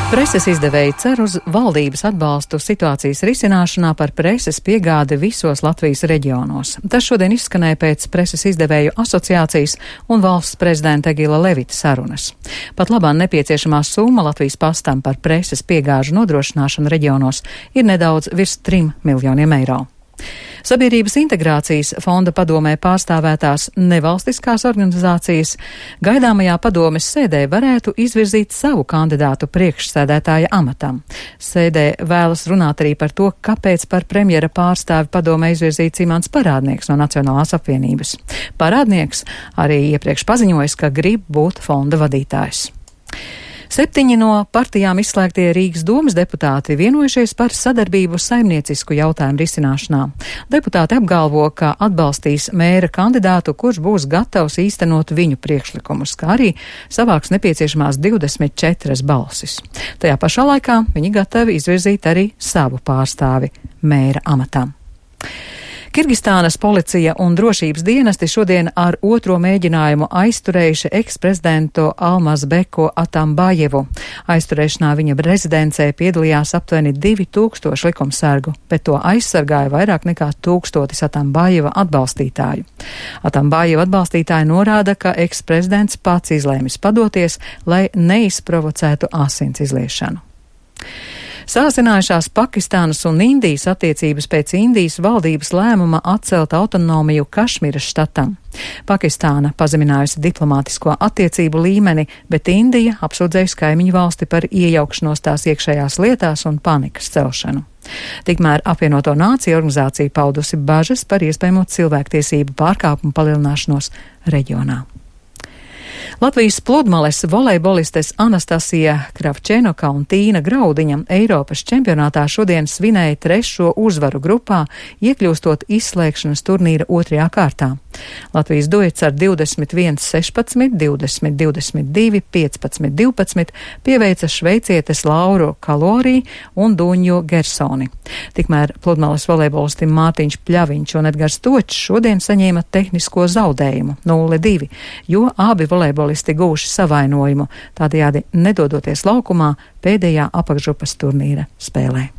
Preses izdevēji cer uz valdības atbalstu situācijas risināšanā par preses piegādi visos Latvijas reģionos. Tas šodien izskanēja pēc Preses izdevēju asociācijas un valsts prezidenta Egila Levita sarunas. Pat labāk nepieciešamā summa Latvijas pastam par preses piegāžu nodrošināšanu reģionos ir nedaudz virs 3 miljoniem eiro. Sabiedrības integrācijas fonda padomē pārstāvētās nevalstiskās organizācijas gaidāmajā padomes sēdē varētu izvirzīt savu kandidātu priekšsēdētāja amatam. Sēdē vēlas runāt arī par to, kāpēc par premjera pārstāvi padomē izvirzīts Imants Parādnieks no Nacionālās apvienības. Parādnieks arī iepriekš paziņojis, ka grib būt fonda vadītājs. 7 no partijām izslēgtie Rīgas domas deputāti vienojušies par sadarbību saimniecisku jautājumu risināšanā. Deputāti apgalvo, ka atbalstīs mēra kandidātu, kurš būs gatavs īstenot viņu priekšlikumus, kā arī savāks nepieciešamās 24 balsis. Tajā pašā laikā viņi gatavi izvirzīt arī savu pārstāvi mēra amatām. Kirgistānas policija un drošības dienesti šodien ar otro mēģinājumu aizturējuši eksprezidentu Almazbeku Atambajevu. Aizturēšanā viņa rezidencē piedalījās aptuveni 2000 likumsargu, bet to aizsargāja vairāk nekā 1000 Atambajeva atbalstītāju. Atambajeva atbalstītāji norāda, ka eksprezidents pats izlēmis padoties, lai neizprovocētu asins izliešanu. Sāsinājušās Pakistānas un Indijas attiecības pēc Indijas valdības lēmuma atcelt autonomiju Kašmiras štatam. Pakistāna pazeminājusi diplomātisko attiecību līmeni, bet Indija apsūdzējusi kaimiņu valsti par iejaukšanos tās iekšējās lietās un panikas celšanu. Tikmēr apvienoto nāciju organizācija paudusi bažas par iespējamo cilvēktiesību pārkāpumu palielināšanos reģionā. Latvijas pludmales volejbolistes Anastasija Kravčenoka un Tīna Graudiņa Eiropas čempionātā šodien svinēja 3. uzvaru grupā, iekļūstot izslēgšanas turnīra 2. kārtā. Latvijas duets ar 21-16, 20-22, 15-12 pieveica šveicietes Lauru Kalorī un Duņu Gersoni. Tikmēr pludmales volejbolisti Mārtiņš Pļaviņš un Edgars Točs šodien saņēma tehnisko zaudējumu 0-2, jo abi volejbolisti gūši savainojumu, tādējādi nedodoties laukumā pēdējā apakšgrupas turnīra spēlē.